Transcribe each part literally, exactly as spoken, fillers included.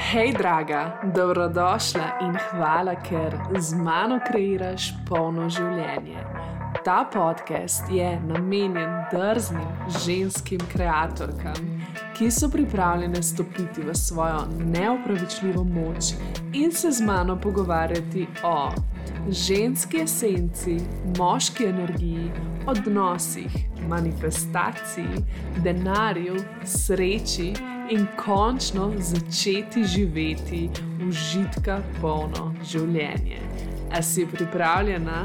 Hej, draga, dobrodošla in hvala, ker z mano kreiraš polno življenje. Ta podcast je namenjen drznim ženskim kreatorkam, ki so pripravljene stopiti v svojo neopravičljivo moč in se z mano pogovarjati o ženski esenci, moški energiji, odnosih, manifestaciji, denarju, sreči in končno začeti živeti užitka polno življenje. A si pripravljena?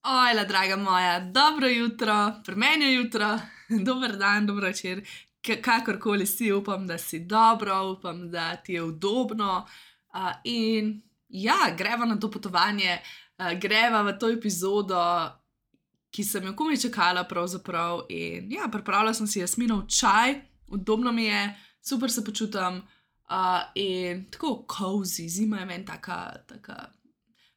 Ojla, draga moja, dobro jutro, pri meni je jutro, dober dan, dobro večer, K- kakorkoli si, upam, da si dobro, upam, da ti je udobno uh, in ja, greva na to potovanje, uh, greva v to epizodo, ki sem jo komaj čakala pravzaprav in ja, pripravila sem si jasminov čaj, udobno mi je, super se počutam uh, in tako cozy, zima je meni taka, taka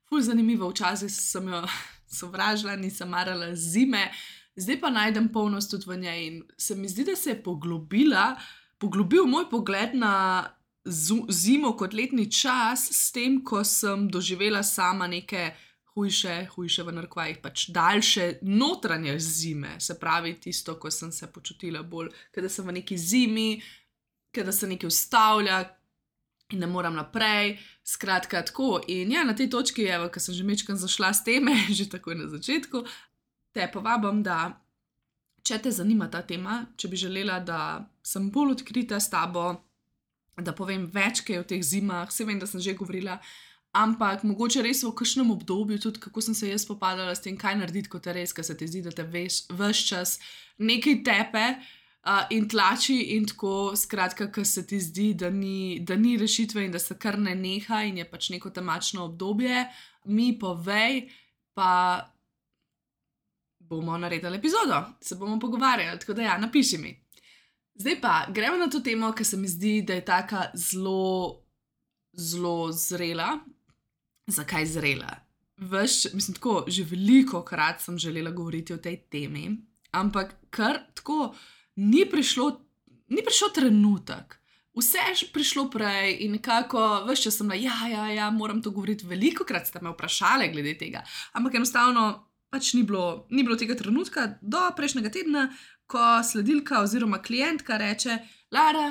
ful zanimiva, včasih sem jo sovražila, nisem marala zime, zdaj pa najdem polnost tudi v njej in se mi zdi, da se je poglobila, poglobil moj pogled na zu- zimo kot letni čas s tem, ko sem doživela sama neke hujše, hujše v narekovajih, pač daljše notranje zime, se pravi tisto, ko sem se počutila bolj, kada sem v neki zimi, kada se nekaj ustavlja in ne moram naprej, skratka tako. In ja, na tej točki, evo, ko sem že mečkam zašla s teme, že takoj na začetku, te povabim, da če te zanima ta tema, če bi želela, da sem bolj odkrita s tabo, da povem več kaj o teh zimah, se vem, da sem že govorila, ampak mogoče res v kakšnem obdobju tudi, kako sem se jaz spopadala s tem, kaj narediti, kot je res, ko se ti zdi, da te veš, ves čas nekaj tepe uh, in tlači in tako, skratka, ko se ti zdi, da ni, da ni rešitve in da se kar ne neha in je pač neko temačno obdobje, mi povej, pa bomo naredili epizodo, se bomo pogovarjali, tako da ja, napiši mi. Zdaj pa, gremo na to temo, ker se mi zdi, da je taka zelo, zelo zrela. Zakaj zrela? Veš, mislim tako, že veliko krat sem želela govoriti o tej temi, ampak kar tako ni prišlo, ni prišel trenutek. Vse je prišlo prej in nekako, veš, če sem na ja, ja, ja, moram to govoriti, veliko krat ste me vprašali glede tega, ampak enostavno pač ni bilo, ni bilo tega trenutka do prejšnjega tedna, ko sledilka oziroma klientka reče, Lara,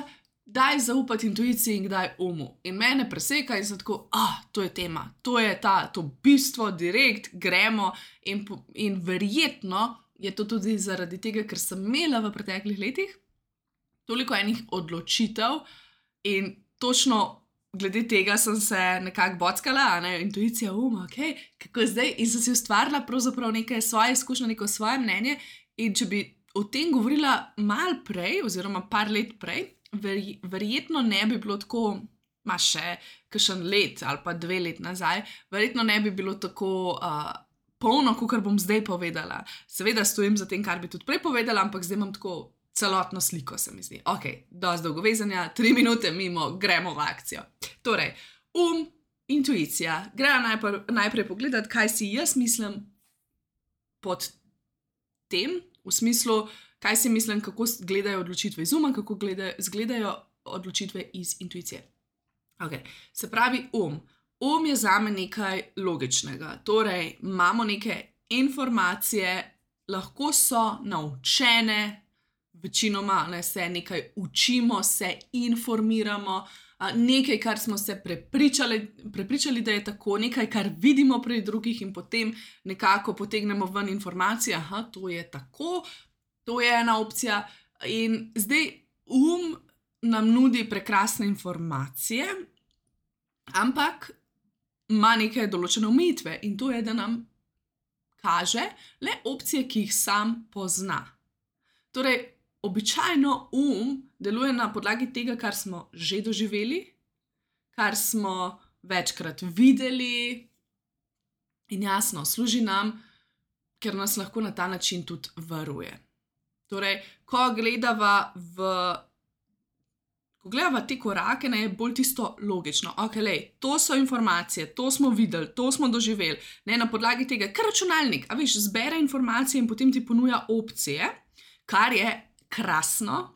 daj zaupati intuiciji in kdaj umu. In mene preseka in sem tako, ah, to je tema, to je ta, to bistvo, direkt, gremo in, po- in verjetno je to tudi zaradi tega, ker sem imela v preteklih letih toliko enih odločitev in točno glede tega sem se nekako bockala, a ne, intuicija, um, ok, kako zdaj, in sem si ustvarila pravzaprav neke svoje izkušnje, neko svoje mnenje in če bi o tem govorila malo prej oziroma par let prej, Verj, verjetno ne bi bilo tako, ma še kakšen let ali pa dve let nazaj, verjetno ne bi bilo tako uh, polno, kakor bom zdaj povedala. Seveda stojim za tem, kar bi tudi prej povedala, ampak zdaj imam tako celotno sliko, se mi zdi. Ok, dosti dolgo vezanja, tri minute mimo, gremo v akcijo. Torej, um, intuicija. Gremo najprej, najprej pogledati, kaj si jaz mislim pod tem, v smislu, kaj si mislim, kako s- gledajo odločitve iz uma, kako gledajo, zgledajo odločitve iz intuicije. Okay. Se pravi, um. Um je zame nekaj logičnega. Torej, imamo neke informacije, lahko so naučene, večinoma ne, se nekaj učimo, se informiramo, a, nekaj, kar smo se prepričali, prepričali, da je tako, nekaj, kar vidimo pri drugih in potem nekako potegnemo ven informacije, aha, to je tako, to je ena opcija. In zdaj um nam nudi prekrasne informacije, ampak ima neke določene omejitve in to je, da nam kaže le opcije, ki jih sam pozna. Torej, običajno um deluje na podlagi tega, kar smo že doživeli, kar smo večkrat videli in jasno, služi nam, ker nas lahko na ta način tudi varuje. Torej, ko gledava v ko gledava te korake, ne, je bolj tisto logično. Ok, lej, to so informacije, to smo videli, to smo doživeli. Ne, na podlagi tega, kar računalnik, a veš, zbere informacije in potem ti ponuja opcije, kar je krasno,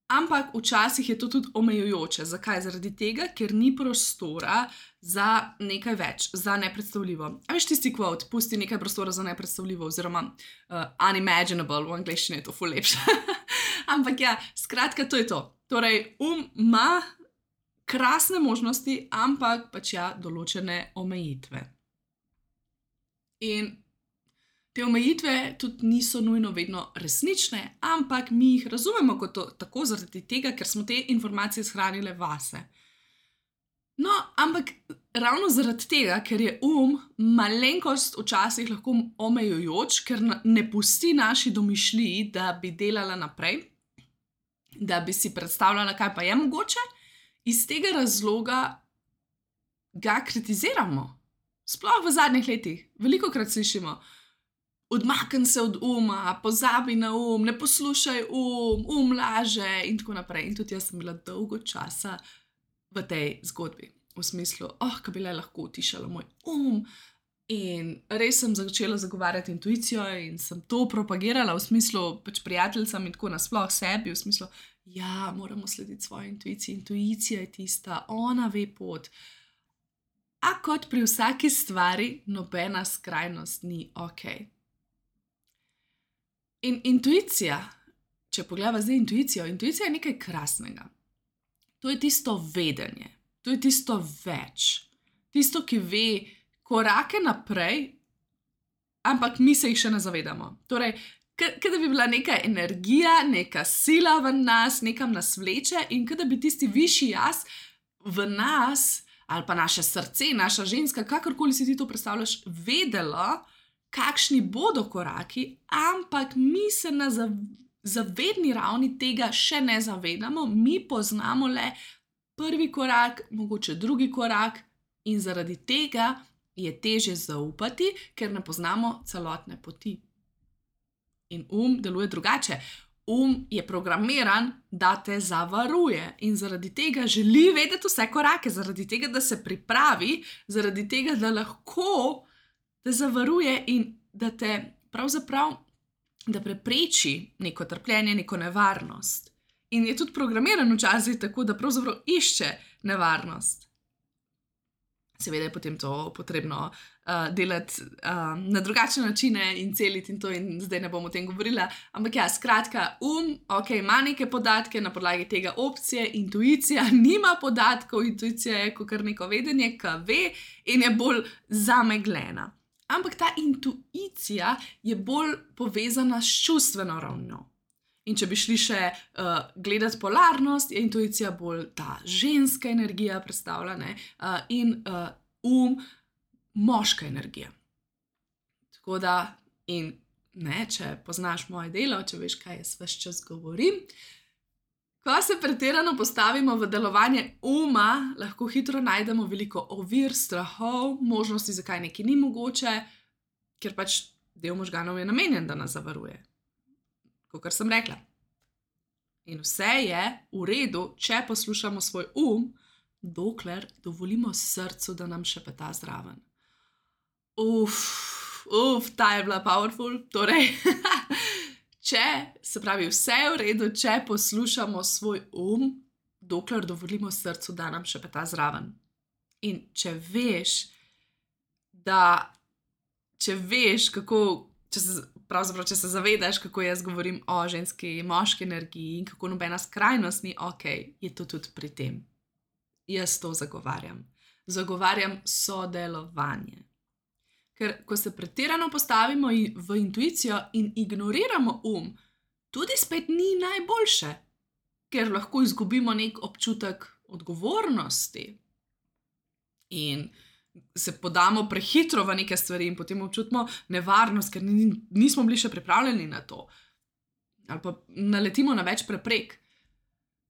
ampak včasih je to tudi omejujoče. Zakaj? Zaradi tega, ker ni prostora za nekaj več, za nepredstavljivo. A veš tisti quote, pusti nekaj prostora za nepredstavljivo, oziroma uh, unimaginable, v angleščini je to ful lepše. Ampak ja, skratka, to je to. Torej, um ima krasne možnosti, ampak pač ja, določene omejitve. In te omejitve tudi niso nujno vedno resnične, ampak mi jih razumemo kot to, tako zaradi tega, ker smo te informacije shranile vase. No, ampak ravno zaradi tega, ker je um malenkost včasih lahko omejujoč, ker ne pusti naši domišljiji, da bi delala naprej, da bi si predstavljala, kaj pa je mogoče, iz tega razloga ga kritiziramo. Sploh v zadnjih letih. Velikokrat slišimo, odmakni se od uma, pozabi na um, ne poslušaj um, um laže in tako naprej. In tudi jaz sem bila dolgo časa v tej zgodbi. V smislu, oh, kaj bi le lahko utišala moj um. In res sem začela zagovarjati intuicijo in sem to propagirala v smislu pač prijateljicam in tako nasploh sebi, v smislu, ja, moramo slediti svoji intuiciji, intuicija je tista, ona ve pot. A kot pri vsaki stvari, nobena skrajnost ni okej. In intuicija, če pogledava zdaj intuicijo, intuicija je nekaj krasnega. To je tisto vedenje, to je tisto več, tisto, ki ve korake naprej, ampak mi se jih še ne zavedamo. Torej, kada bi bila neka energija, neka sila v nas, nekam nas vleče in kada bi tisti višji jaz v nas, ali pa naše srce, naša ženska, kakorkoli si ti to predstavljaš, vedela, kakšni bodo koraki, ampak mi se na zavedni ravni tega še ne zavedamo, mi poznamo le prvi korak, mogoče drugi korak in zaradi tega je težje zaupati, ker ne poznamo celotne poti. In um deluje drugače. Um je programiran, da te zavaruje in zaradi tega želi vedeti vse korake, zaradi tega, da se pripravi, zaradi tega, da lahko te zavaruje in da te pravzaprav, da prepreči neko trpljenje, neko nevarnost. In je tudi programiran včasih tako, da pravzaprav išče nevarnost. Seveda je potem to potrebno uh, delati uh, na drugačne načine in celiti in to in zdaj ne bom o tem govorila. Ampak ja, skratka, um, ok, ima neke podatke, na podlagi tega opcije, intuicija nima podatkov, intuicija je kot neko vedenje, ki ve in je bolj zameglena. Ampak ta intuicija je bolj povezana s čustveno ravnjo. In če bi šli še uh, gledati polarnost, je intuicija bolj ta ženska energija predstavljena uh, in uh, um moška energija. Tako da, in ne, če poznaš moje delo, če veš, kaj jaz ves čas govorim, ko se pretirano postavimo v delovanje uma, lahko hitro najdemo veliko ovir, strahov, možnosti, zakaj nekaj ni mogoče, ker pač del možganov je namenjen, da nas zavaruje. Kakor sem rekla. In vse je v redu, če poslušamo svoj um, dokler dovolimo srcu, da nam šepeta zraven. Uf, uf, ta je bila powerful. Torej, če, se pravi, vse je v redu, če poslušamo svoj um, dokler dovolimo srcu, da nam šepeta zraven. In če veš, da, če veš, kako, če se Pravzaprav, če se zavedaš, kako jaz govorim o ženski, moški energiji in kako nobena skrajnost ni ok, je to tudi pri tem. Jaz to zagovarjam. Zagovarjam sodelovanje. Ker ko se pretirano postavimo v intuicijo in ignoriramo um, tudi spet ni najboljše, ker lahko izgubimo nek občutek odgovornosti in se podamo prehitro v neke stvari in potem občutimo nevarnost, ker nismo bili še pripravljeni na to. Ali pa naletimo na več preprek.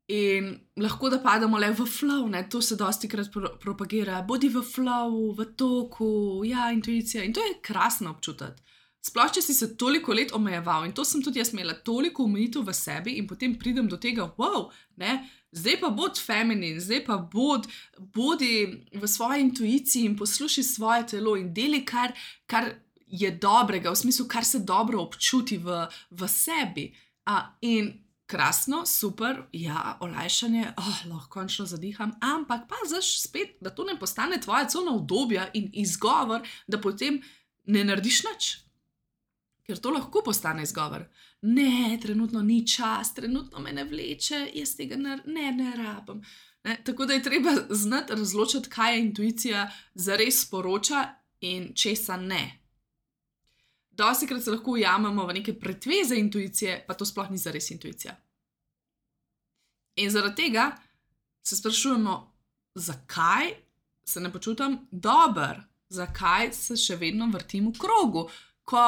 In lahko da padamo le v flow, ne? To se dostikrat pro- propagira. Bodi v flowu, v toku, ja, intuicija. In to je krasno občutiti. Sploh, če si se toliko let omejeval in to sem tudi jaz imela toliko omejitev v sebi in potem pridem do tega, wow, ne, zdaj pa bod feminin, zdaj pa bod, bodi v svoji intuiciji in posluši svoje telo in deli, kar, kar je dobrega, v smislu, kar se dobro občuti v, v sebi. A, in krasno, super, ja, olajšanje, oh, lahko končno zadiham, ampak paziš spet, da to ne postane tvoja cona udobja in izgovor, da potem ne narediš nič. Ker to lahko postane izgovor. Ne, trenutno ni čas, trenutno me ne vleče, jaz tega ne, ne, ne rabim. Ne? Tako da je treba znati razločiti, kaj je intuicija zares sporoča in česa ne. Dostikrat se lahko ujamemo v neke pretveze intuicije, pa to sploh ni zares intuicija. In zaradi tega se sprašujemo, zakaj se ne počutim dobro, zakaj se še vedno vrtim v krogu, ko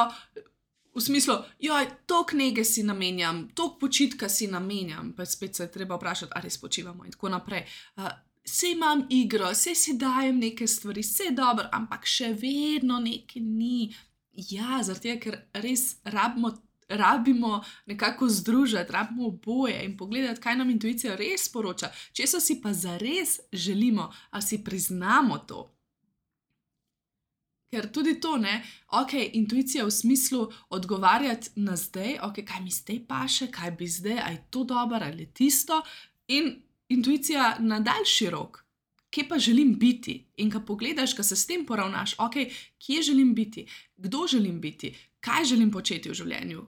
v smislu, joj, toliko nege si namenjam, toliko počitka si namenjam, pa spet se je treba vprašati, ali res počivamo in tako naprej. Uh, Sej imam igro, sej si dajem neke stvari, sej je dobro, ampak še vedno nekaj ni. Ja, zaradi tega, ker res rabimo, rabimo nekako združiti, rabimo oboje in pogledati, kaj nam intuicija res sporoča, česa si pa zares želimo, ali si priznamo to. Ker tudi to, ne, ok, intuicija v smislu odgovarjati na zdaj, ok, kaj mi zdaj paše, kaj bi zdaj, a je to dobro ali tisto, in intuicija na daljši rok, kje pa želim biti. In ko pogledaš, ko se s tem poravnaš, ok, kje želim biti, kdo želim biti, kaj želim početi v življenju.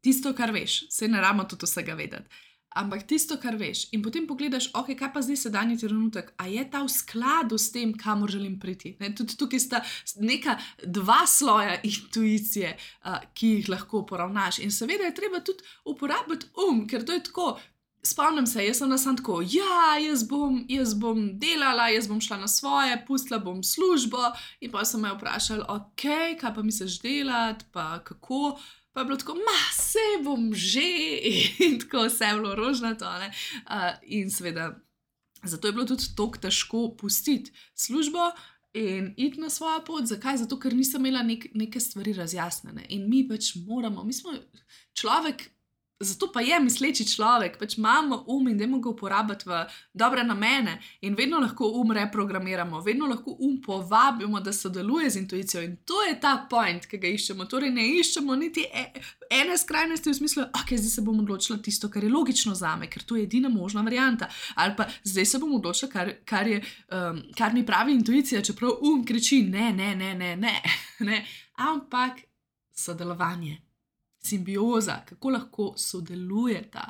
Tisto, kar veš, saj ne rabimo tudi vsega vedeti. Ampak tisto, kar veš. In potem pogledaš, ok, kaj pa zdaj sedanji trenutek, a je ta v skladu s tem, kamor želim priti. Ne, tudi tukaj sta neka dva sloja intuicije, uh, ki jih lahko poravnaš. In seveda je treba tudi uporabiti um, ker to je tako. Spomnim se, jaz sem na sam tako, ja, jaz bom, jaz bom delala, jaz bom šla na svoje, pustila bom službo in pa sem me vprašala, ok, kaj pa misliš delati, pa kako. Pa je bilo tako, ma, sej bom že, in tako vse je bilo rožnato. Uh, in seveda, zato je bilo tudi tako težko pustiti službo in iti na svojo pot. Zakaj? Zato, ker nisem imela nek, neke stvari razjasnjene. In mi pač moramo, mi smo človek, zato pa je misleči človek, pač imamo um in dajmo ga uporabiti v dobre namene in vedno lahko um reprogramiramo, vedno lahko um povabimo, da sodeluje z intuicijo in to je ta point, ki ga iščemo. Torej ne iščemo niti ene skrajnosti v smislu, ok, zdaj se bom odločila tisto, kar je logično zame, ker to je edina možna varianta, ali pa zdaj se bom odločila, kar, kar, je, um, kar mi pravi intuicija, čeprav um kriči, ne, ne, ne, ne, ne, ne, ampak sodelovanje. Simbioza, kako lahko sodelujeta.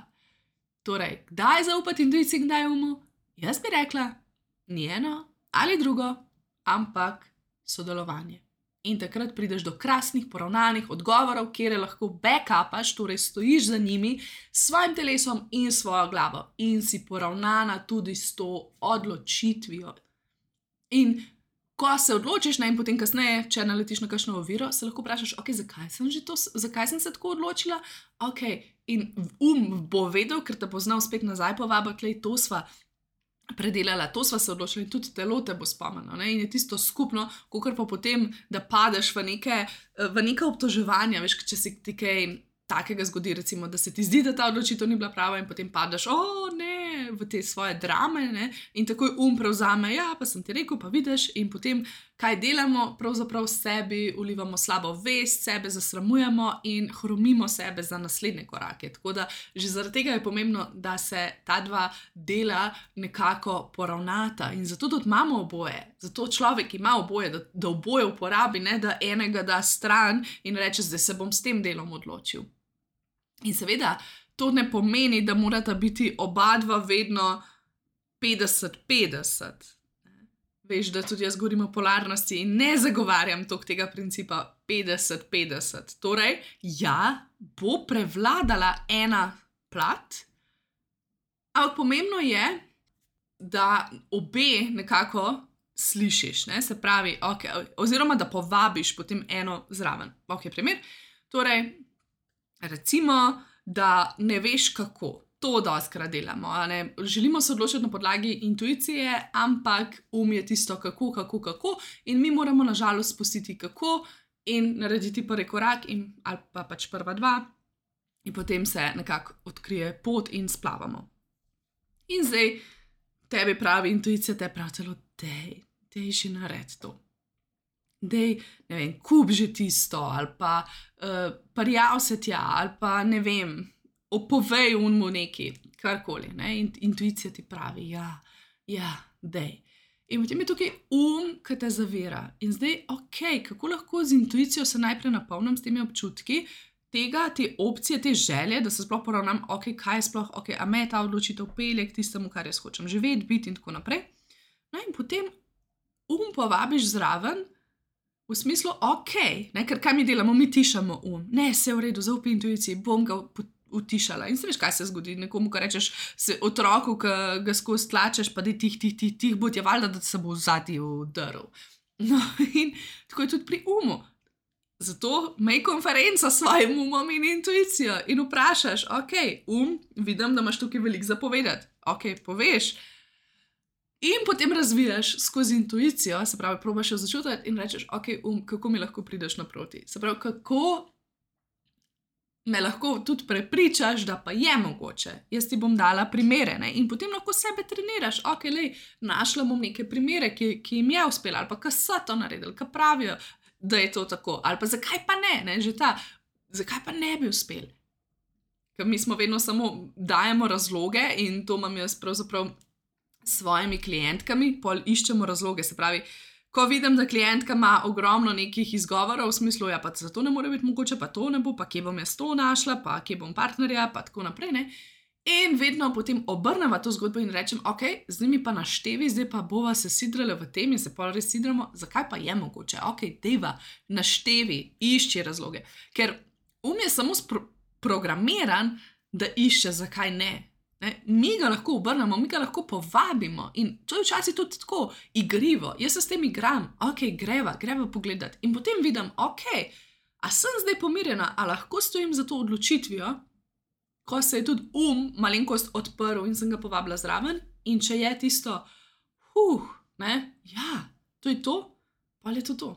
Torej, kdaj zaupati intuiciji, kdaj umu? Jaz bi rekla, ni eno ali drugo, ampak sodelovanje. In takrat prideš do krasnih, poravnanih odgovorov, kjer lahko backupaš, torej stojiš za njimi, s svojim telesom in svojo glavo. In si poravnana tudi s to odločitvijo. In ko se odločiš, ne, in potem kasneje, če naletiš na kakšno oviro, se lahko vprašaš, ok, zakaj sem, že to, zakaj sem se tako odločila? Ok, in um bo vedel, ker te bo znal spet nazaj povabiti, klej, to sva predelala, to sva se odločila in tudi telo te bo spomnilo. Ne? In je tisto skupno, kakor pa potem, da padeš v neke, v neke obtoževanja, veš, če si ti kaj takega zgodi, recimo, da se ti zdi, da ta odločitev ni bila prava in potem padeš, o ne, v te svoje drame, ne? In takoj um prevzame, ja, pa sem ti rekel, pa vidiš, in potem kaj delamo, pravzaprav sebi ulivamo slabo vest, sebe zasramujemo in hromimo sebe za naslednje korake. Tako da že zaradi tega je pomembno, da se ta dva dela nekako poravnata in zato tudi imamo oboje. Zato človek ima oboje, da, da oboje uporabi, ne da enega da stran in reče, zdaj se bom s tem delom odločil. In seveda, to ne pomeni, da morata biti oba dva vedno petdeset petdeset. Veš, da tudi jaz govorim o polarnosti in ne zagovarjam toliko tega principa petdeset petdeset. Torej, ja, bo prevladala ena plat, ampak pomembno je, da obe nekako slišiš, ne? Se pravi, okay, oziroma da povabiš potem eno zraven. Ok, primer. Torej, recimo, da ne veš kako. To dostikrat delamo. Ne? Želimo se odločiti na podlagi intuicije, ampak um je tisto kako, kako, kako in mi moramo nažalost spustiti kako in narediti prvi korak in, ali pa pač prva dva in potem se nekako odkrije pot in splavamo. In zdaj tebi pravi intuicija, te pravi celo, dej, dej že nared to. dej, ne vem, kup že tisto, ali pa uh, prijav se tja, ali pa ne vem, opovej unmu neki, karkoli. Ne? In, intuicija ti pravi, ja, ja, dej. In potem je tukaj um, ki te zavira. In zdaj, ok, kako lahko z intuicijo se najprej napolnim s temi občutki, tega, te opcije, te želje, da se sploh poravnam, ok, kaj je sploh, ok, a me ta odločitev pelje k tistemu, kar jaz hočem živeti, biti in tako naprej. No in potem um povabiš zraven, v smislu, ok, ne, ker kaj mi delamo, mi tišamo um, ne, vse v redu, zaupaj intuiciji, bom ga utišala. In se veš, kaj se zgodi, nekomu, ko rečeš se otroku, ki ga skozi tlačeš, pa da tih, tih, tih, tih, bo ti valjda, da se bo zadnji vdrl. No in tako je tudi pri umu. Zato imej konferenco s svojim umom in intuicijo in vprašaš, ok, um, vidim, da imaš tukaj veliko zapovedati, ok, poveš. In potem razvijaš skozi intuicijo, se pravi, probaš jo začutiti in rečeš, ok, um, kako mi lahko prideš naproti. Se pravi, kako me lahko tudi prepričaš, da pa je mogoče. Jaz ti bom dala primere, ne? In potem lahko sebe treniraš. Ok, lej, našla bom neke primere, ki, ki jim je uspelo, ali pa ki so to naredili, ki pravijo, da je to tako. Ali pa zakaj pa ne, ne? Že ta, zakaj pa ne bi uspel? Ker mi smo vedno samo dajemo razloge in to imam jaz pravzaprav s svojimi klientkami, pol iščemo razloge, se pravi, ko vidim, da klientka ima ogromno nekih izgovorov v smislu, ja, pa zato ne more biti mogoče, pa to ne bo, pa kje bom jaz to našla, pa kje bom partnerja, pa tako naprej, ne. In vedno potem obrneva to zgodbo in rečem, ok, zdaj mi pa naštevi, zdaj pa bova se sidrale v tem in se pol res sidramo, zakaj pa je mogoče, ok, dejva, naštevi, išči razloge, ker um je samo spro- programiran, da išče, zakaj ne. Ne? Mi ga lahko obrnemo, mi ga lahko povabimo in to je včasih tudi tako igrivo. Jaz se s tem igram, ok, greva, greva pogledati in potem vidim, ok, a sem zdaj pomirjena, a lahko stojim za to odločitvijo, ko se je tudi um malenkost odprl in sem ga povabila zraven in če je tisto, huh, ne, ja, to je to, pa je to to.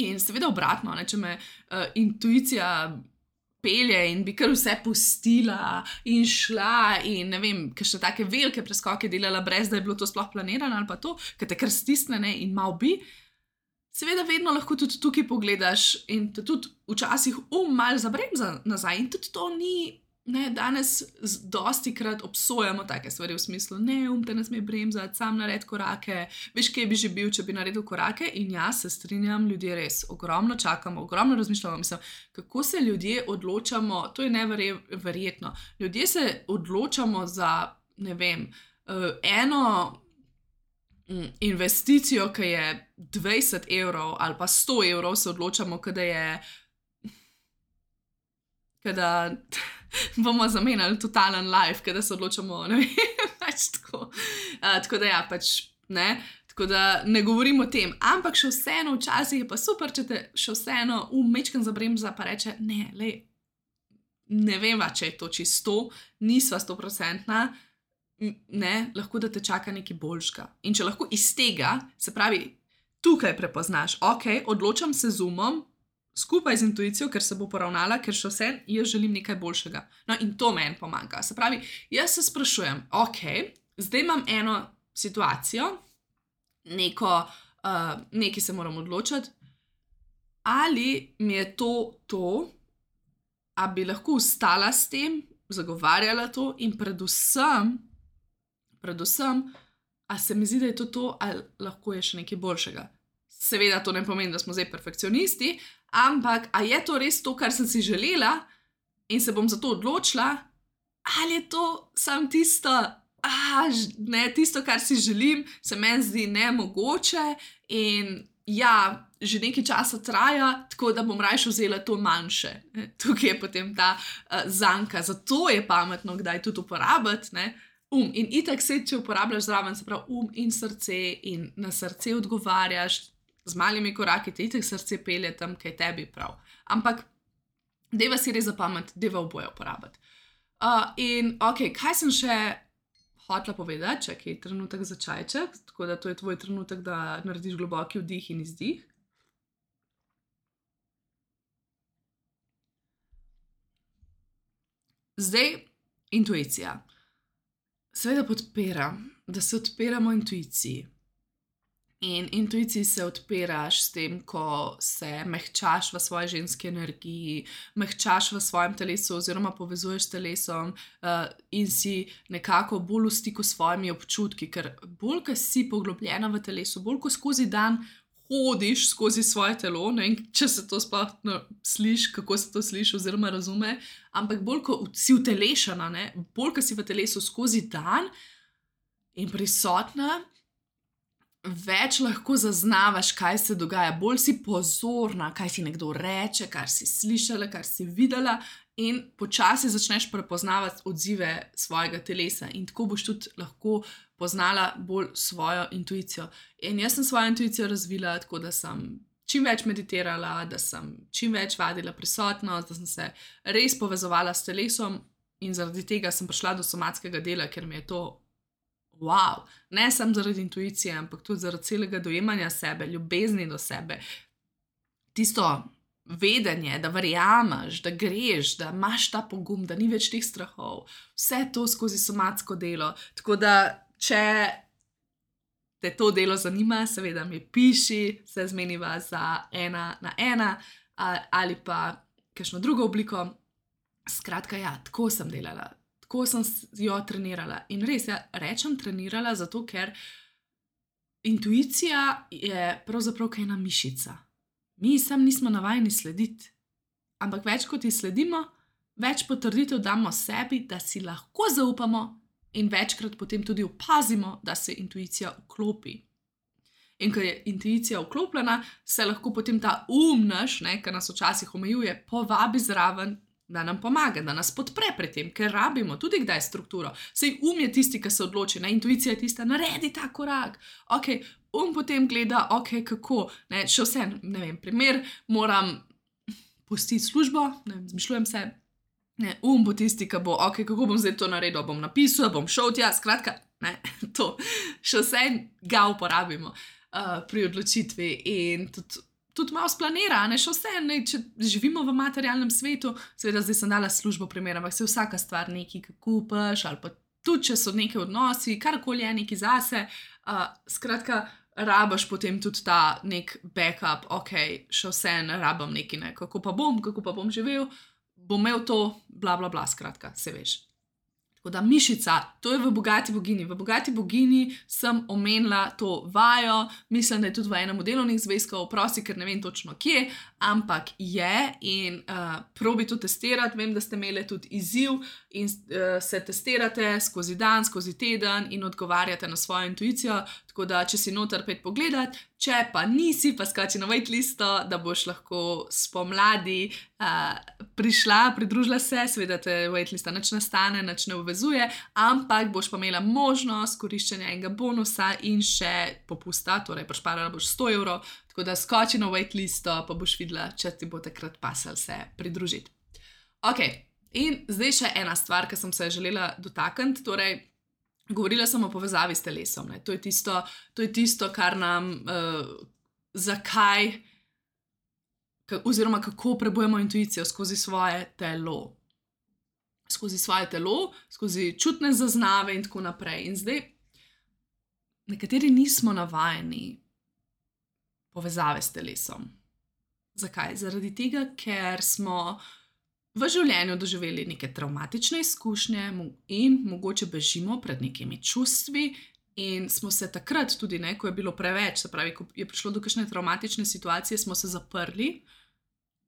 In seveda obratno, ne, če me uh, intuicija pelje in bi kar vse pustila in šla in ne vem, kakšne take velike preskoke delala, brez da je bilo to sploh planirano ali pa to, ker te kar stisne, ne, in mal bi. Seveda vedno lahko tudi tukaj pogledaš in te tudi včasih um mal zabremza nazaj in tudi to ni, ne, danes dosti krat obsojamo take stvari v smislu, ne, um te ne sme bremzati, sam nared korake, veš, kje bi že bil, če bi naredil korake in jaz se strinjam, ljudje res ogromno čakamo, ogromno razmišljamo, mislim, kako se ljudje odločamo, to je neverjetno, ljudje se odločamo za, ne vem, eno investicijo, ki je dvajset evrov ali pa sto evrov, se odločamo, kada je, kada bomo zamenjali totalen life, kada se odločamo, ne vem, pač tako. Uh, tako da ja, pač, ne, tako da ne govorim o tem, ampak še vseeno včasih je pa super, če te še vseeno umečkan zabremza pa reče, ne, lej, ne veva, če je to čisto, nisva stoprocentna, ne, lahko da te čaka nekaj boljšega. In če lahko iz tega, se pravi, tukaj prepoznaš, ok, odločam se z umom, skupaj z intuicijo, ker se bo poravnala, ker še vse, jaz želim nekaj boljšega. No in to meni pomaga. Se pravi, jaz se sprašujem, ok, zdaj imam eno situacijo, neko, uh, nekaj se moram odločiti, ali mi je to to, a bi lahko ustala s tem, zagovarjala to in predvsem, predvsem, a se mi zdi, da je to to, ali lahko je še nekaj boljšega. Seveda to ne pomeni, da smo zdaj perfekcionisti, ampak a je to res to, kar sem si želela in se bom za to odločila, ali je to samo tisto, a, ne, tisto, kar si želim, se meni zdi nemogoče in ja, že nekaj časa traja, tako da bom rajše vzela to manjše. Tukaj je potem ta uh, zanka, zato je pametno kdaj tudi uporabiti, ne, um. In itak se, če uporabljaš zraven, se pravi um in srce in na srce odgovarjaš, z malimi koraki te itak srce pelje tam, kaj tebi prav. Ampak deva si res zapamet, deva oboje uporabiti. Uh, in ok, kaj sem še hotela povedati, čakaj, trenutek za čajček, tako da to je tvoj trenutek, da narediš globoki vdih in izdih. Zdaj, intuicija. Seveda podpiram, da se odpiramo intuiciji. In intuiciji se odpiraš s tem, ko se mehčaš v svoji ženski energiji, mehčaš v svojem telesu oziroma povezuješ s telesom uh, in si nekako bolj v stiku s svojimi občutki, ker bolj, ko si poglobljena v telesu, bolj, ko skozi dan hodiš skozi svoje telo, ne vem, če se to sploh no, sliši, kako se to sliši oziroma razume, ampak bolj, ko si utelešena, ne, bolj, ko si v telesu skozi dan in prisotna, več lahko zaznavaš, kaj se dogaja, bolj si pozorna, kaj si nekdo reče, kar si slišala, kar si videla in počasi začneš prepoznavati odzive svojega telesa in tako boš tudi lahko poznala bolj svojo intuicijo. In jaz sem svojo intuicijo razvila tako, da sem čim več meditirala, da sem čim več vadila prisotnost, da sem se res povezovala s telesom in zaradi tega sem prišla do somatskega dela, ker mi je to wow, ne samo zaradi intuicije, ampak tudi zaradi celega dojemanja sebe, ljubezni do sebe, tisto vedenje, da verjameš, da greš, da imaš ta pogum, da ni več teh strahov, vse to skozi somatsko delo. Tako da, če te to delo zanima, seveda mi piši, se zmeniva za ena na ena ali pa kakšno drugo obliko. Skratka, ja, tako sem delala. Tako sem jo trenirala. In res, ja, rečem trenirala, zato ker intuicija je pravzaprav kaj ena mišica. Mi sam nismo navajeni slediti. Ampak več kot ji sledimo, več potrditev damo sebi, da si lahko zaupamo in večkrat potem tudi opazimo, da se intuicija vklopi. In ko je intuicija vklopljena, se lahko potem ta um naš, ne, ki nas včasih omejuje, povabi zraven, da nam pomaga, da nas podpre pri tem, ker rabimo tudi kdaj strukturo. Sej um je tisti, ki se odloči, ne? Intuicija je tista, naredi ta korak. Ok, um potem gleda, ok, kako, ne, še vse, ne vem, primer, moram pustiti službo, ne vem, zmišljujem se, ne, um bo tisti, ki bo, ok, kako bom zdaj to naredil, bom napisal, bom šel tja, skratka, ne, to, še vse ga uporabimo uh, pri odločitvi in tudi tudi malo splanira, ne, še vse, ne, če živimo v materialnem svetu, seveda zdaj sem dala službo primer, ampak se vsaka stvar nekaj, ki kupaš, ali pa tudi, če so neke odnosi, karkoli je neki zase, uh, skratka, rabaš potem tudi ta nek backup, ok, še vse ne rabam neki, ne, kako pa bom, kako pa bom živel, bom imel to, bla, bla, bla, skratka, se veš. Tako da mišica, to je v Bogati bogini. V Bogati bogini sem omenila to vajo, mislim, da je tudi v enem od delovnih zvezkov, prosti, ker ne vem točno kje, ampak je in uh, probi to testirati. Vem, da ste imeli tudi izziv in uh, se testirate skozi dan, skozi teden in odgovarjate na svojo intuicijo. Tako da, če si noter pet pogledat, če pa nisi, pa skači na waitlisto, da boš lahko spomladi uh, prišla, pridružila se, seveda te waitlista nič ne stane, nič ne uvezuje, ampak boš pa imela možnost koriščenja enega bonusa in še popusta, torej prišparala boš sto evrov, tako da skoči na waitlisto, pa boš videla, če ti bo takrat pasal se pridružiti. Ok, in zdaj še ena stvar, ki sem se želela dotakniti, torej govorila sem o povezavi s telesom. Ne. To je tisto, to je tisto, kar nam, uh, zakaj, ka, oziroma kako prebujemo intuicijo skozi svoje telo. Skozi svoje telo, skozi čutne zaznave in tako naprej. In zdaj, nekateri nismo navajeni povezave s telesom. Zakaj? Zaradi tega, ker smo v življenju doživeli neke travmatične izkušnje in mogoče bežimo pred nekimi čustvi in smo se takrat tudi, ne, ko je bilo preveč, se pravi, ko je prišlo do kakšne travmatične situacije, smo se zaprli,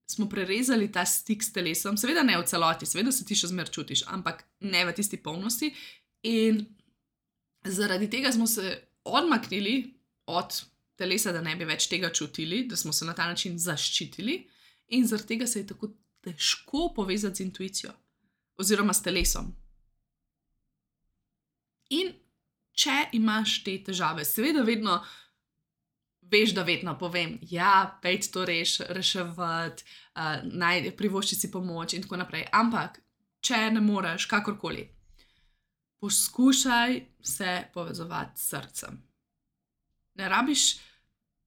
smo prerezali ta stik s telesom, seveda ne v celoti, seveda se ti še zmer čutiš, ampak ne v tisti polnosti in zaradi tega smo se odmaknili od telesa, da ne bi več tega čutili, da smo se na ta način zaščitili in zaradi tega se je tako težko povezati z intuicijo oziroma s telesom. In če imaš te težave, seveda vedno veš, da vedno povem, ja, pejte to reš, reševati, uh, naj privošči si pomoč in tako naprej. Ampak, če ne moreš, kakorkoli, poskušaj se povezovati s srcem. Ne rabiš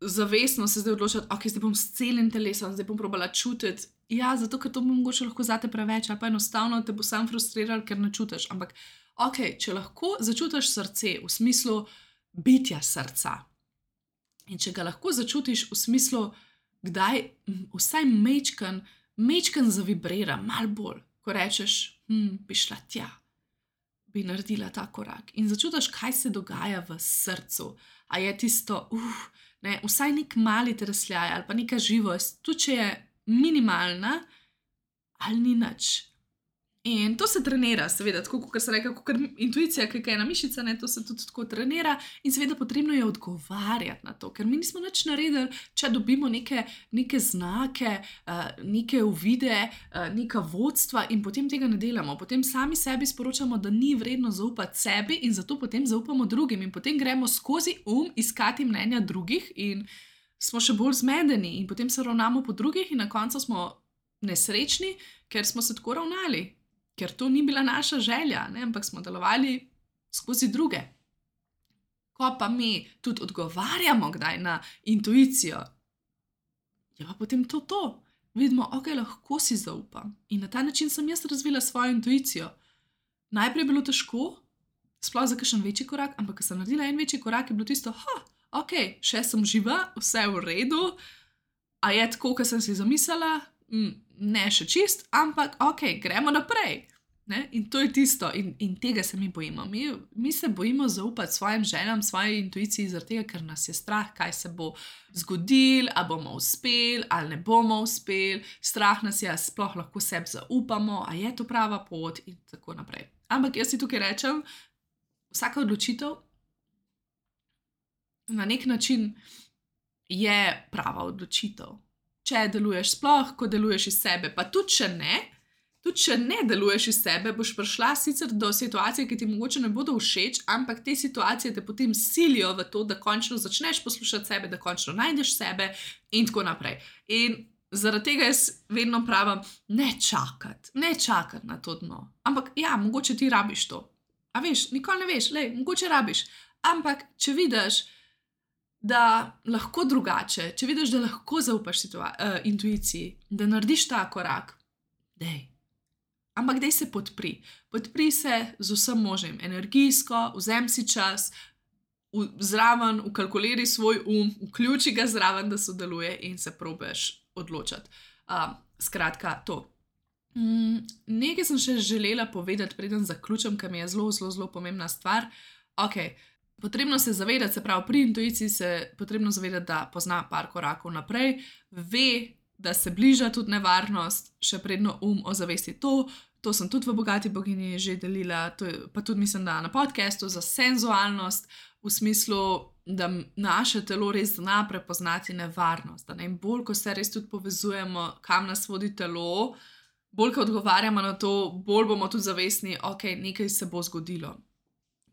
zavestno se zdaj odločati, ok, zdaj bom s celim telesom, zdaj bom probala čutiti. Ja, zato, ker to bo mogoče lahko zate preveč, ali pa enostavno te bo sam frustriral, ker ne čutiš. Ampak, ok, če lahko začutiš srce v smislu bitja srca, In če ga lahko začutiš v smislu, kdaj vsaj mečkan, mečkan zavibrira, malo bolj, ko rečeš, hm, bi šla tja, bi naredila ta korak. In začutiš, kaj se dogaja v srcu. A je tisto, uf, ne, vsaj nek mali tresljaj ali pa neka živost, tudi če je minimalna, ali ni nič. In to se trenira, seveda, tako kot se reče, kot intuicija, ki je ena mišica, ne, to se tudi tako trenira in seveda potrebno je odgovarjati na to, ker mi nismo nič naredili, če dobimo neke, neke znake, uh, neke uvide, uh, neka vodstva in potem tega ne delamo. Potem sami sebi sporočamo, da ni vredno zaupati sebi in zato potem zaupamo drugim in potem gremo skozi um iskati mnenja drugih in smo še bolj zmedeni in potem se ravnamo po drugih in na koncu smo nesrečni, ker smo se tako ravnali. Ker to ni bila naša želja, ne? Ampak smo delovali skozi druge. Ko pa mi tudi odgovarjamo kdaj na intuicijo, je pa potem to to. Vidimo, ok, lahko si zaupam. In na ta način sem jaz razvila svojo intuicijo. Najprej je bilo težko, sploh za kakšen večji korak, ampak ko sem naredila en večji korak, je bilo tisto, ha, ok, še sem živa, vse je v redu, a je tako, kot sem si zamislila, mm, ne še čist, ampak ok, gremo naprej. Ne? In to je tisto, in, in tega se mi bojimo. Mi, mi se bojimo zaupati svojim željam, svoji intuiciji, zaradi tega, ker nas je strah, kaj se bo zgodilo, ali bomo uspeli, ali ne bomo uspeli. Strah nas je, sploh lahko sebi zaupamo, a je to prava pot, in tako naprej. Ampak jaz si tukaj rečem, vsaka odločitev na nek način je prava odločitev. Če deluješ sploh, ko deluješ iz sebe, pa tudi če ne, tudi če ne deluješ iz sebe, boš prišla sicer do situacije, ki ti mogoče ne bodo všeč, ampak te situacije te potem silijo v to, da končno začneš poslušati sebe, da končno najdeš sebe in tako naprej. In zaradi tega jaz vedno pravim, ne čakati, ne čakati na to dno. Ampak ja, mogoče ti rabiš to. A veš, nikoli ne veš, lej, mogoče rabiš. Ampak če vidiš, da lahko drugače, če vidiš, da lahko zaupaš situa- uh, intuiciji, da narediš ta korak, dej. Ampak dej se podpri. Podpri se z vsem možnim, energijsko, vzem si čas, v, zraven, ukalkuliri svoj um, vključi ga zraven, da sodeluje in se probeš odločati. Uh, skratka, to. Mm, nekaj sem še želela povedati, preden zaključim, ker mi je zelo, zelo, zelo pomembna stvar. Ok, potrebno se zavedati, se pravi, pri intuiciji se potrebno zavedati, da pozna par korakov naprej, ve, da se bliža tudi nevarnost, še predno um ozavesti to. To sem tudi v Bogati bogini že delila, to je, pa tudi mislim, da na podcastu za senzualnost, v smislu, da naše telo res zna prepoznati nevarnost. Da ne? In bolj, ko se res tudi povezujemo, kam nas vodi telo, bolj, ko odgovarjamo na to, bolj bomo tudi zavestni, ok, nekaj se bo zgodilo.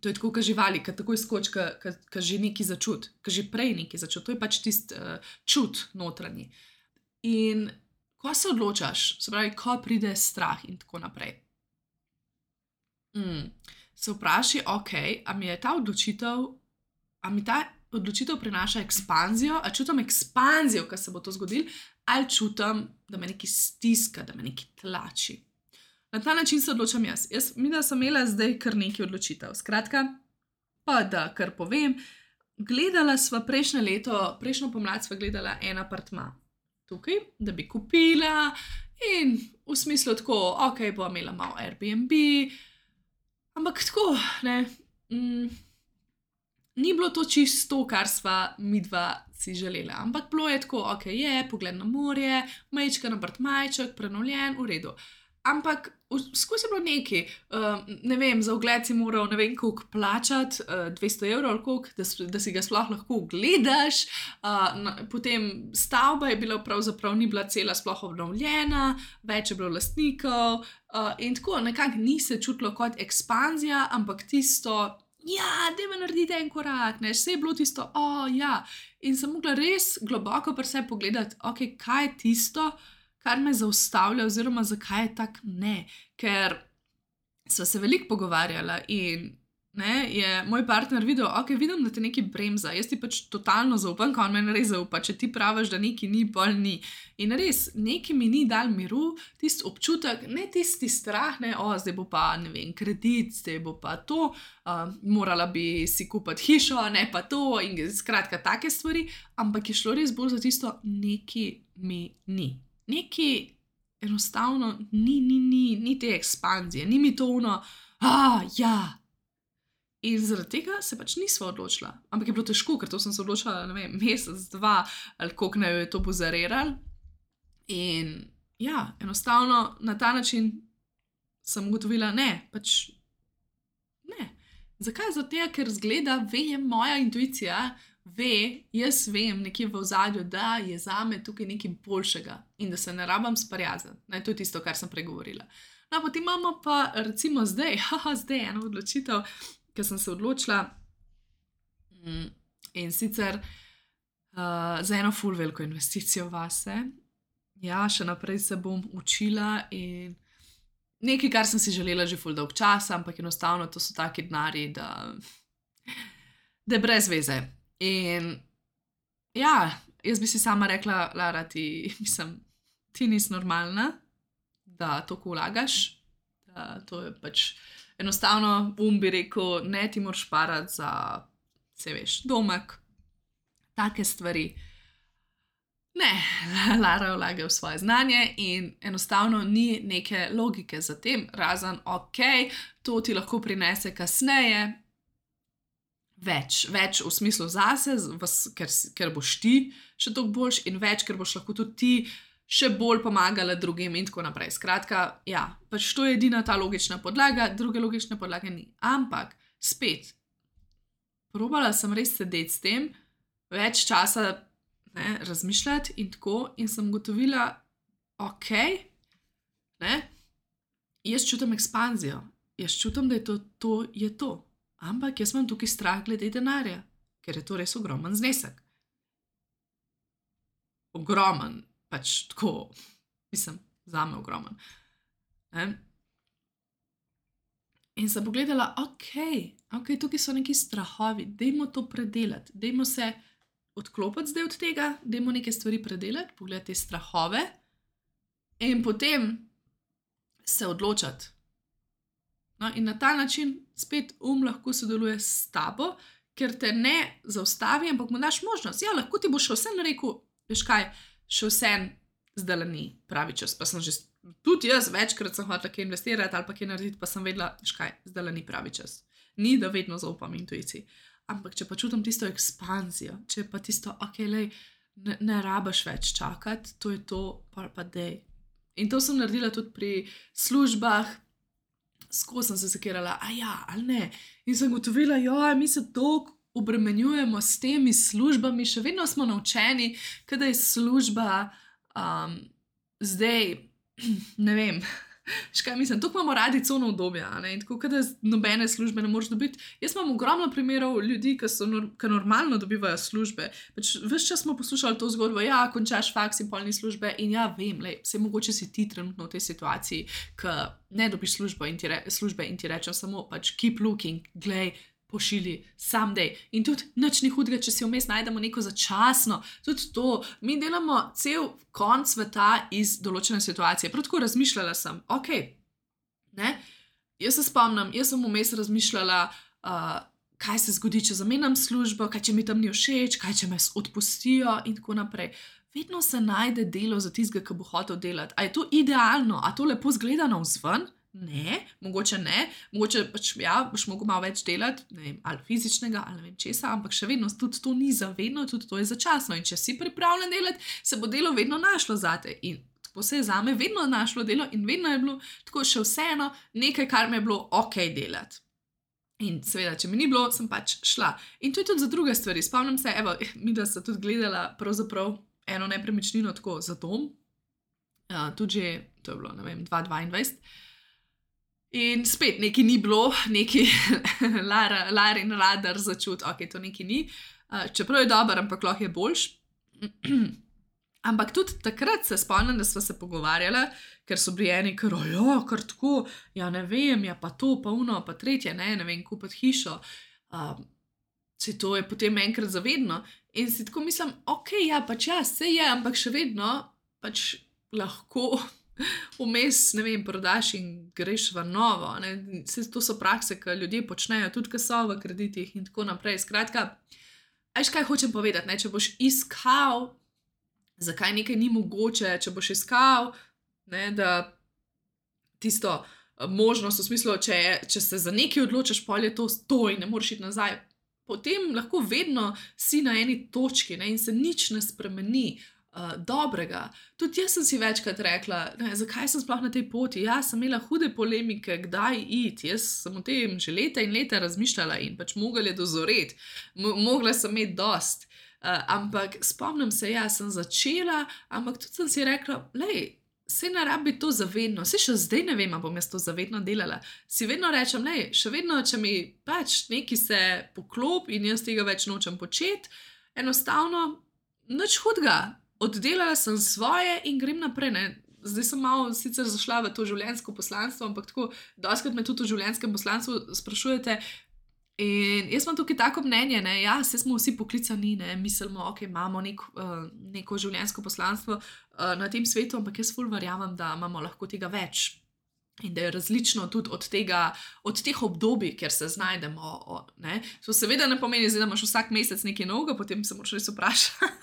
To je tako, kot živali, ki takoj skoči, ki že nekaj začuti, ki že prej nekaj začuti. To je pač tisti uh, čut notranji. In ko se odločaš, se pravi, ko pride strah in tako naprej, mm, se vprašaj, ok, a mi je ta odločitev, a mi ta odločitev prinaša ekspanzijo, a čutim ekspanzijo, ko se bo to zgodilo, ali čutim, da me nekaj stiska, da me nekaj tlači. Na ta način se odločam jaz. Jaz mi da sem imela zdaj kar nekaj odločitev. Skratka, pa da kar povem, gledala sva prejšnje leto, prejšnjo pomlad sva gledala en apartma tukaj, da bi kupila in v smislu tako, ok, bo imela malo Airbnb, ampak tako, ne, mm, ni bilo to čisto, kar sva midva si želela, ampak bilo je tako, ok, je, pogled na morje, majčken apartmajček, prenovljen, v redu. Ampak skozi je bilo nekaj, uh, ne vem, za ogled si moral ne vem koliko plačati, uh, dvesto evrov ali koliko, da, da si ga sploh lahko ogledaš. Uh, na, potem stavba je bila pravzaprav ni bila cela sploh obnovljena, več je bilo lastnikov uh, in tako nekako ni se čutilo kot ekspanzija, ampak tisto, ja, dajmo narediti en korak, ne, vse je bilo tisto, o, oh, ja. In sem mogla res globoko pri sebi pogledati, ok, kaj je tisto, kar me zaustavlja, oziroma zakaj je tak ne. Ker sva se veliko pogovarjala in ne, je moj partner videl, ok, vidim, da te nekaj bremza, jaz ti pač totalno zaupam, ko on meni res zaupa, če ti praviš, da nekaj ni, pol ni. In res, nekaj mi ni dal miru, tisti občutek, ne tisti strah, ne, o, zdaj bo pa, ne vem, kredit, zdaj bo pa to, uh, morala bi si kupiti hišo, ne pa to, in skratka take stvari, ampak je šlo res bolj za tisto, nekaj mi ni. Nekaj enostavno ni, ni, ni, ni te ekspanzije, ni mi to ono, a, ja. In zaradi tega se pač nisva odločila. Ampak je bilo težko, ker to sem se odločila, ne vem, mesec, dva, ali koliko ne je to pozareral. In ja, enostavno na ta način sem ugotovila, ne, pač ne. Zakaj? Zato tega, ker zgleda, ve moja intuicija, ve, jaz vem nekje v ozadju, da je zame tukaj nekaj boljšega in da se ne rabam sprijazniti. Ne, to je tisto, kar sem pregovorila. No, potem imamo pa recimo zdaj, haha, zdaj eno odločitev, ker sem se odločila in sicer uh, za eno ful veliko investicijo vase. Ja, še naprej se bom učila in nekaj, kar sem si želela že ful dolg časa, ampak enostavno to so taki denarji, da, da je brez veze. In ja, jaz bi si sama rekla, Lara, ti, mislim, ti nisi normalna, da toliko vlagaš, da to je pač enostavno, um bi rekel, ne, ti moraš parati za, se veš, domek, take stvari. Ne, Lara vlaga v svoje znanje in enostavno ni neke logike za tem, razen, ok, to ti lahko prinese kasneje več, več v smislu zase, ker, ker boš ti še toliko boljš in več, ker boš lahko tudi ti še bolj pomagala drugim in tako naprej. Skratka, ja, pač to je edina ta logična podlaga, druge logične podlage ni. Ampak, spet, probala sem res sedeti s tem, več časa ne, razmišljati in tako, in sem gotovila, ok, ne, jaz čutim ekspanzijo, jaz čutim, da je to, to je to. Ampak jaz imam tukaj strah glede denarja, ker je to res ogromen znesek. Ogromen. Pač tako, mislim, zame ogromen. Ne? In sem pogledala, ok, ok, tukaj so neki strahovi, dajmo to predelati, dajmo se odklopiti zdaj od tega, dajmo neke stvari predelati, pogledati te strahove in potem se odločati. No, in na ta način spet um lahko sodeluje s tabo, ker te ne zaustavi, ampak mu daš možnost. Ja, lahko ti bo še vse rekel, veš kaj, še vse zdaj ni pravi čas, pa sem že, tudi jaz večkrat sem hotela kaj investirati ali pa kaj narediti, pa sem vedela, veš kaj, zdaj ni pravi čas. Ni, da vedno zaupam intuiciji. Ampak če pa čutim tisto ekspanzijo, če pa tisto, ok, lej, ne, ne rabaš več čakati, to je to, pa pa dej. In to sem naredila tudi pri službah, skozi sem se sekirala, a ja, ali ne. In sem gotovila, joj, mi se toliko obremenjujemo s temi službami, še vedno smo naučeni, kada je služba um, zdaj, ne vem, škaj mislim, tukaj imamo radi cono obdobja, ne, in tako, kada nobene službe ne moreš dobiti. Jaz imam ogromno primerov ljudi, ki so ki normalno dobivajo službe. Pač ves čas smo poslušali to zgodbo, ja, končaš faks in polni službe in ja, vem, lej, vse mogoče si ti trenutno v tej situaciji, ki ne dobiš službo in ti, re, službe in ti rečem samo, pač keep looking, glej, pošili, someday. In tudi nič ni hudega, če si vmes najdemo neko začasno. Tudi to, mi delamo cel konc sveta iz določene situacije. Prav tako razmišljala sem, ok, ne, jaz se spomnim, jaz sem vmes razmišljala, uh, kaj se zgodi, če zamenjam službo, kaj če mi tam ni všeč, kaj če me odpustijo in tako naprej. Vedno se najde delo za tistega, ki bo hotel delati. A je to idealno? A to lepo zgleda navzven? Ne, mogoče ne, mogoče pač ja, boš mogel malo več delati, ne vem, ali fizičnega, ali ne vem česa, ampak še vedno tudi to ni zavedno, tudi to je začasno in če si pripravljen delati, se bo delo vedno našlo zate in tako se je zame vedno našlo delo in vedno je bilo tako še vseeno nekaj, kar mi je bilo ok delati. In seveda, če mi ni bilo, sem pač šla. In to je tudi za druge stvari. Spomnim se, evo, mi da sta tudi gledala pravzaprav eno nepremičnino tako za dom, uh, tudi že, to je bilo, ne vem, dva tisoč dvaindvajset. In spet nekaj ni bilo, nekaj lar, lar in radar začut, ok, to nekaj ni, uh, čeprav je dober, ampak lahko je boljš. Ampak tudi takrat se spomnim, da smo se pogovarjali, ker so bili eni, ker jo, kar tako, ja ne vem, ja pa to, pa uno, pa tretje, ne, ne vem, kupiti hišo. Um, se to je potem enkrat zavedno. In si tako mislim, ok, ja, pač ja, se je, ampak še vedno pač lahko vmes, ne vem, prodaš in greš v novo. Ne? To so prakse, ki ljudje počnejo, tudi ko so v kreditih in tako naprej. Skratka, veš, kaj hočem povedati, ne? Če boš iskal, zakaj nekaj ni mogoče, če boš iskal, ne, da tisto možnost v smislu, če, če se za nekaj odločiš, pol je to stoj, ne moreš iti nazaj, potem lahko vedno si na eni točki, ne, in se nič ne spremeni uh, dobrega. Tudi jaz sem si večkrat rekla, ne, zakaj sem sploh na tej poti. Ja, sem imela hude polemike, kdaj iti. Jaz sem o tem že leta in leta razmišljala in pač mogla je dozoreti, M- mogla sem imeti dost. Uh, ampak spomnim se, ja, sem začela, ampak tudi sem si rekla, lej, se ne rabi to zavedno, se še zdaj ne vem, ali bom jaz to zavedno delala. Si vedno rečem, lej, še vedno, če mi pač neki se poklop in jaz tega več nočem početi, enostavno, nič hudega, oddelala sem svoje in grem naprej, ne. Zdaj sem malo sicer zašla v to življenjsko poslanstvo, ampak tako, dostikrat me tudi v življenjskem poslanstvu sprašujete. In jaz imam tukaj tako mnenje, ne, ja, se smo vsi poklicani, ne, mislimo, ok, imamo nek, uh, neko življenjsko poslanstvo uh, na tem svetu, ampak jaz ful verjamem, da imamo lahko tega več in da je različno tudi od tega, od teh obdobij, kjer se znajdemo, o, ne. To seveda ne pomeni, zdaj, da imaš vsak mesec nekaj novega, potem se moraš res vprašati.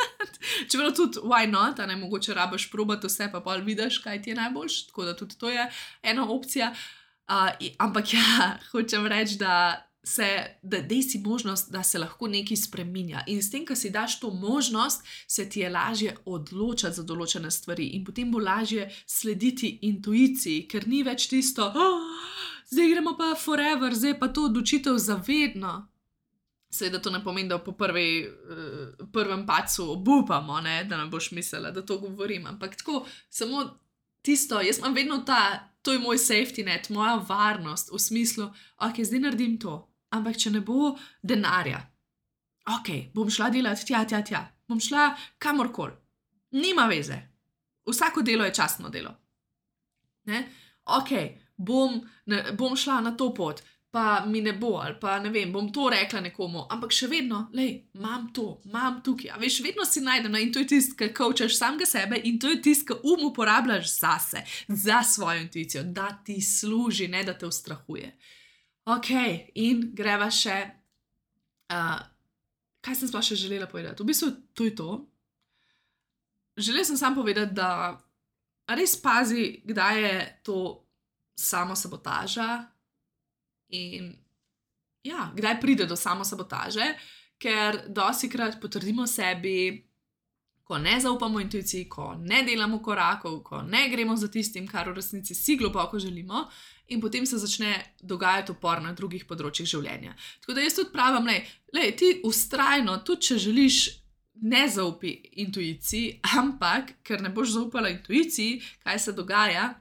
Čeprav tudi, why not, a ne, mogoče rabiš probati vse, pa pol vidiš, kaj ti je najboljš, tako da tudi to je ena opcija. Uh, ampak ja, hočem reči, da se, da dej si možnost, da se lahko nekaj spreminja. In s tem, ko si daš to možnost, se ti je lažje odločati za določene stvari in potem bo lažje slediti intuiciji, ker ni več tisto, oh, zdaj gremo pa forever, zdaj pa to odločitev zavedno. Seveda to ne pomeni, da po prvi, uh, prvem padcu obupamo, ne, da ne boš mislila, da to govorim, ampak tako, samo tisto, jaz imam vedno ta, to je moj safety net, moja varnost v smislu, ok, zdaj naredim to, ampak če ne bo denarja, ok, bom šla delati tja, tja, tja, bom šla kamorkoli, nima veze, vsako delo je častno delo, ne, ok, bom, ne, bom šla na to pot, pa mi ne bo, ali pa ne vem, bom to rekla nekomu, ampak še vedno, lej, imam to, imam tukaj, a veš, vedno si najdem, in to je tisto, ki coachaš samega sebe in to je tisto, ki um uporabljaš zase, za svojo intuicijo, da ti služi, ne da te ustrahuje. Ok, in greva še, uh, kaj sem sploh še želela povedati? V bistvu, to je to. Želela sem samo povedati, da res pazi, kdaj je to samosabotaža in ja, kdaj pride do samosabotaže, ker dostikrat potrdimo sebi, ko ne zaupamo intuiciji, ko ne delamo korakov, ko ne gremo za tistim, kar v resnici si globoko želimo, in potem se začne dogajati upor na drugih področjih življenja. Tako da jaz tudi pravim, lej, lej, ti vztrajno, tudi če želiš, ne zaupi intuiciji, ampak ker ne boš zaupala intuiciji, kaj se dogaja,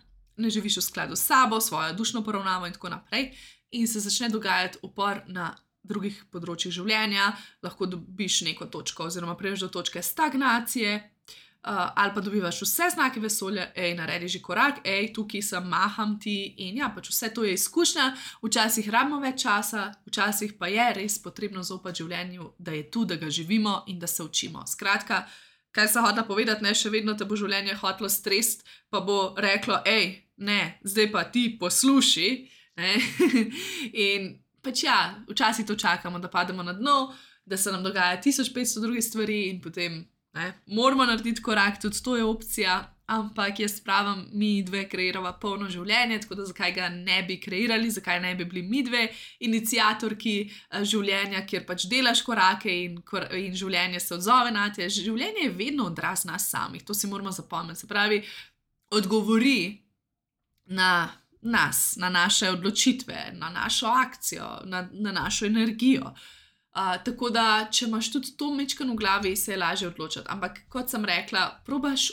ne živiš v skladu s sabo, svojo dušno poravnavo in tako naprej, in se začne dogajati upor na drugih področjih življenja, lahko dobiš neko točko oziroma priješ do točke stagnacije, uh, ali pa dobivaš vse znake vesolja, ej, naredi že korak, ej, tukaj sem, maham ti in ja, pač vse to je izkušnja, včasih rabimo več časa, včasih pa je res potrebno zaupati življenju, da je tu, da ga živimo in da se učimo. Skratka, kaj sem hotela povedati, ne, še vedno te bo življenje hotelo strest, pa bo reklo, ej, ne, zdaj pa ti posluši, ne, in pač ja, včasih to čakamo, da pademo na dno, da se nam dogaja tisoč petsto drugih stvari in potem, ne, moramo narediti korak, tudi to je opcija, ampak jaz pravim, mi dve kreirava polno življenje, tako da zakaj ga ne bi kreirali, zakaj ne bi bili mi dve iniciatorki življenja, kjer pač delaš korake in, kor in življenje se odzove na te. Življenje je vedno odraz nas samih, to si moramo zapomniti, se pravi, odgovori na nas, na naše odločitve, na našo akcijo, na, na našo energijo. Uh, tako da, če imaš tudi to mečkano v glavi, se je lažje odločiti. Ampak, kot sem rekla, probaš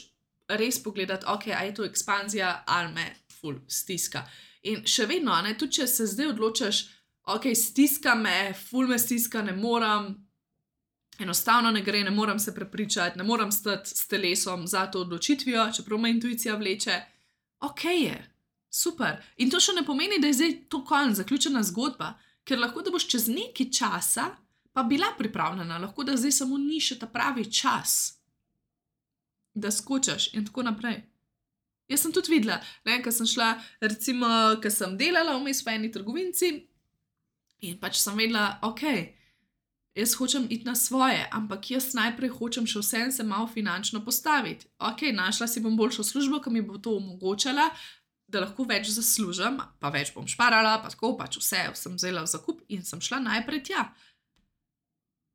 res pogledati, ok, a je to ekspanzija ali me ful stiska. In še vedno, ne, tudi če se zdaj odločaš, ok, stiska me, ful me stiska, ne moram, enostavno ne gre, ne morem se prepričati, ne morem stati s telesom za to odločitvijo, čeprav me intuicija vleče. Ok je, super. In to še ne pomeni, da je zdaj to konec, zaključena zgodba, ker lahko da boš čez nekaj časa pa bila pripravljena, lahko da zdaj samo ni še ta pravi čas, da skočaš in tako naprej. Jaz sem tudi videla, ne, ker sem šla, recimo, ker sem delala vmes v eni trgovinci in pač sem vedela, ok, jaz hočem iti na svoje, ampak jaz najprej hočem še vsem se malo finančno postaviti. Ok, našla si bom boljšo službo, ki mi bo to omogočala, da lahko več zaslužim, pa več bom šparala, pa tako pač vse sem vzela v zakup in sem šla najprej tja.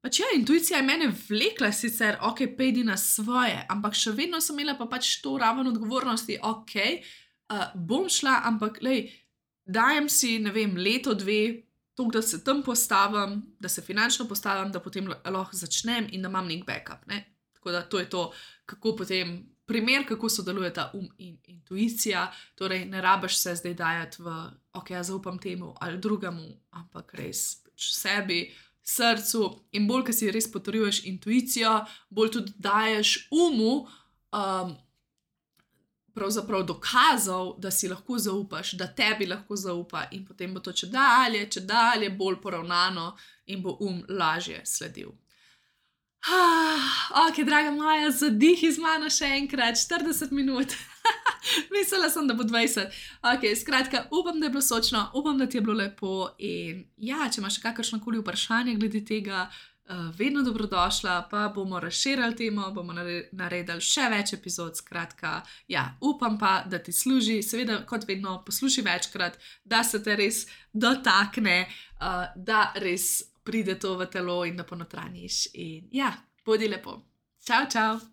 Pač ja, intuicija je mene vlekla sicer, ok, pejdi na svoje, ampak še vedno sem imela pa pač to raven odgovornosti, ok, uh, bom šla, ampak lej, dajem si, ne vem, leto, dve, to, da se tam postavim, da se finančno postavim, da potem lahko začnem in da imam nek backup, ne. Tako da to je to, kako potem, primer, kako sodelujeta um in intuicija, torej ne rabiš se zdaj dajati v, ok, ja zaupam temu ali drugemu, ampak res pač sebi, srcu in bolj, ko si res potrjuješ intuicijo, bolj tudi daješ umu um, pravzaprav dokazov, da si lahko zaupaš, da tebi lahko zaupa in potem bo to čedalje, čedalje bolj poravnano in bo um lažje sledil. Ah, ok, draga moja, zadihi z mano še enkrat, štirideset minut. Mislila sem, da bo dvajset. Ok, skratka, upam, da je bilo sočno, upam, da ti je bilo lepo in ja, če imaš kakršnokoli vprašanje glede tega, uh, vedno dobrodošla, pa bomo razširili temo, bomo naredili še več epizod, skratka, ja, upam pa, da ti služi, seveda, kot vedno, poslušaj večkrat, da se te res dotakne, uh, da res pride to v telo in da ponotranjiš in ja, bodi lepo. Čau, čau!